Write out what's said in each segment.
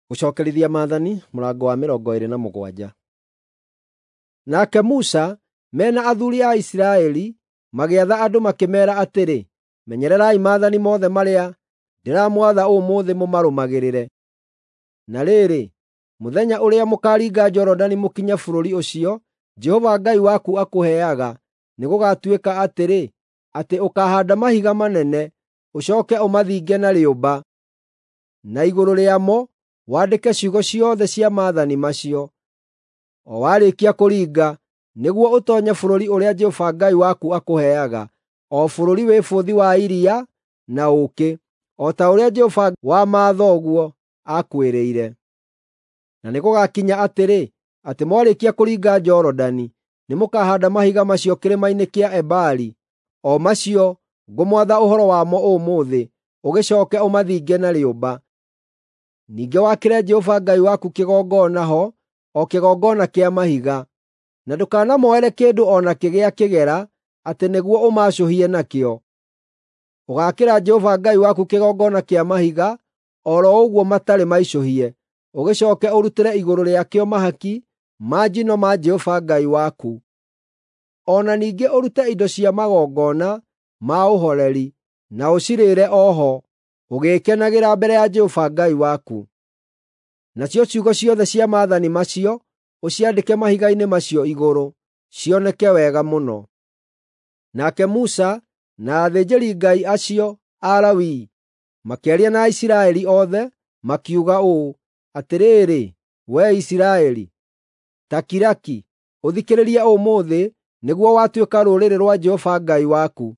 Gũcokerithia Maathani mũrango wa 27. Nake Musa me na athuuri a Isiraeli magĩatha andũ makĩmeera atĩrĩ, “Menyererai maathani mothe marĩa ndĩramwatha ũmũthĩ mũmarũmagĩrĩre. Na rĩrĩ, mũthenya ũrĩa mũkaaringa Jorodani mũkinye bũrũri ũcio Jehova Ngai waku akũheaga, nĩgũgatuĩka atĩrĩ, atĩ ũkaahaanda mahiga manene, ũcooke ũmathinge na rĩũmba, na igũrũ rĩamo wandĩke ciugo ciothe cia maathani macio. O warĩkia kũringa, nĩguo ũtoonye bũrũri ũrĩa Jehova Ngai waku akũheaga, o bũrũri wĩ bũthi wa iria na ũũkĩ, o ta ũrĩa Jehova wa mathoguo aakwĩrĩire. Na nĩgũgakinya atĩrĩ, atĩ mwarĩkia kũringa Jorodani, nĩmũkahaanda mahiga macio kĩrĩma-inĩ kĩa Ebali, o macio ngũmwatha ũhoro wamo ũmũthĩ, ũgĩcooke ũmathinge na rĩũmba. Ningĩ wakĩre Jehova Ngai waku kĩgongona ho, o kĩgongona kĩa mahiga. Na ndũkanamoere kĩndũ o nakĩ gĩa kĩgera atĩ nĩguo ũmaacũhie nakĩo. Ũgaakĩra Jehova Ngai waku kĩgongona kĩa mahiga o ro ũguo matarĩ maicũhie, ũgĩcooke ũrutĩre igũrũ rĩakĩo mahaki ma njino ma Jehova Ngai waku. O na ningĩ ũrute indo cia magongona ma ũhoreri na ũcirĩĩre o ho, ũgĩĩkenagĩra mbere ya Jehova Ngai waku. Nacio ciugo ciothe cia maathani macio ũciandĩke mahiga-inĩ macio igũrũ, cioneke wega mũno. Nake Musa na athĩnjĩri-Ngai acio Alawii makĩaria na Aisiraeli othe, makiuga ũũ: “Atĩrĩrĩ, wee Isiraeli, ta kira ki, ũthikĩrĩrie ũmũthĩ nĩguo watuĩka rũrĩrĩ rwa Jehova Ngai waku.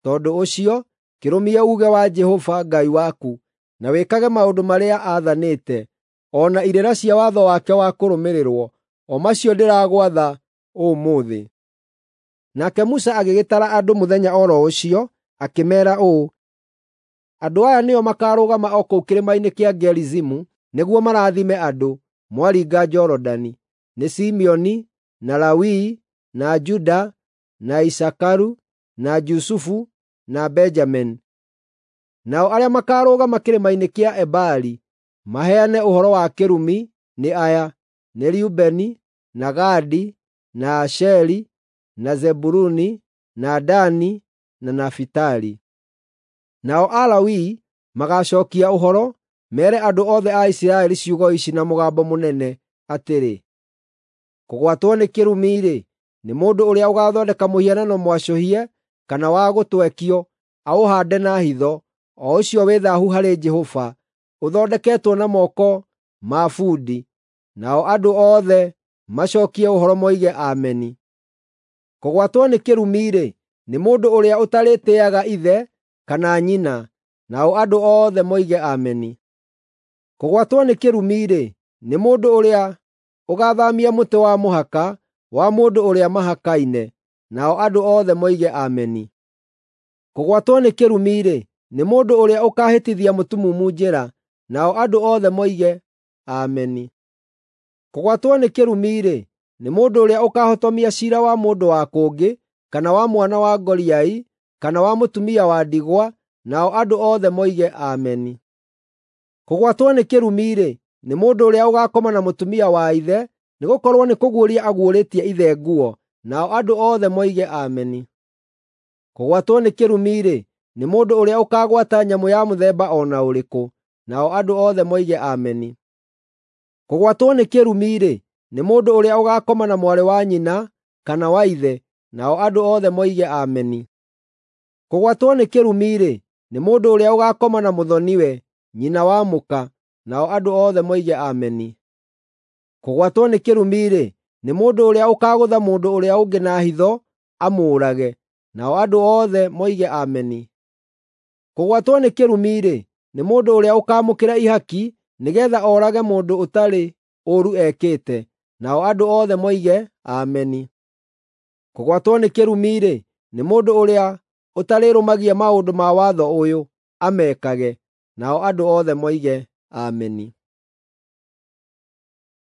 Tondũ ũcio, kĩrũmie uuge wa Jehova Ngai waku, na wĩkage maũndũ marĩa aathanĩte, o na irĩra cia watho wake wa kũrũmĩrĩrwo, o macio ndĩragwatha ũmũthĩ.” Nake Musa agĩgĩtara andũ mũthenya o ro ũcio, akĩmeera ũũ: “Andũ aya nĩo makaarũgama o kũu kĩrĩma-inĩ kĩa Gerizimu nĩguo marathime andũ, mwaringa Jorodani: nĩ Simeoni, na Lawii, na Juda, na Isakaru, na Jusufu, na Benjamini. Nao arĩa makaarũgama kĩrĩma-inĩ kĩa Ebali maheane ũhoro wa kĩrumi nĩ aya: nĩ Rubeni, na Gadi, na Asheri, na Zebuluni, na Dani, na Nafitali. Nao Alawii magaacookia ũhoro, meere andũ othe a Isiraeli ciugo ici na mũgambo mũnene atĩrĩ: “Kũgwatwo nĩ kĩrumi-rĩ, nĩ mũndũ ũrĩa ũgaathondeka mũhianano mwacũhie kana wa gũtwekio, aũhaande na hitho, o ũcio wĩ thaahu harĩ Jehova, ũthondeketwo na moko ma bundi.” Nao andũ othe macookie ũhoro moige, “Ameni.” Kũgwatwo nĩ kĩrumi-rĩ, nĩ mũndũ ũrĩa ũtarĩtĩĩaga ithe kana nyina. Nao andũ othe moige, “Ameni.” Kũgwatwo nĩ kĩrumi-rĩ, nĩ mũndũ ũrĩa ũgaathaamia mũtĩ wa mũhaka wa mũndũ ũrĩa mahakaine. Nao andũ othe moige, “Ameni.” Kũgwatwo nĩ kĩrumi-rĩ, nĩ mũndũ ũrĩa ũkaahĩtithia mũtumumu njĩra. Nao andũ othe moige, “Ameni.” Kũgwatwo nĩ kĩrumi-rĩ, nĩ mũndũ ũrĩa ũkaahotomia ciira wa mũndũ wa kũngĩ, kana wa mwana wa ngoriai, kana wa mũtumia wa ndigwa. Nao andũ othe moige, “Ameni.” Kũgwatwo nĩ kĩrumi-rĩ, nĩ mũndũ ũrĩa ũgaakoma na mũtumia wa ithe, nĩgũkorwo nĩkũguũria aguũrĩtie ithe nguo. Nao andũ othe moige, “Ameni.” Kũgwatwo nĩ kĩrumi-rĩ, nĩ mũndũ ũrĩa ũkaagwata nyamũ ya mũthemba o na ũrĩkũ. Nao andũ othe moige, “Ameni.” Kũgwatwo nĩ kĩrumi-rĩ, nĩ mũndũ ũrĩa ũgaakoma na mwarĩ wa nyina kana wa ithe. Nao andũ othe moige, “Ameni.” Kũgwatwo nĩ kĩrumi-rĩ, nĩ mũndũ ũrĩa ũgaakoma na mũthoni-we, nyina wa mũka. Nao andũ othe moige, “Ameni.” Kũgwatwo nĩ kĩrumi-rĩ, nĩ mũndũ ũrĩa ũkaagũtha mũndũ ũrĩa ũngĩ na hitho amũũrage. Nao andũ othe moige, “Ameni.” Kũgwatwo nĩ kĩrumi-rĩ, nĩ mũndũ ũrĩa ũkaamũkĩra ihaki nĩgeetha oorage mũndũ ũtarĩ ũũru ekĩte. Nao andũ othe moige, “Ameni.” Kũgwatwo nĩ kĩrumi-rĩ, nĩ mũndũ ũrĩa ũtarĩrũmagia maũndũ ma watho ũyũ, amekage. Nao andũ othe moige, “Ameni.”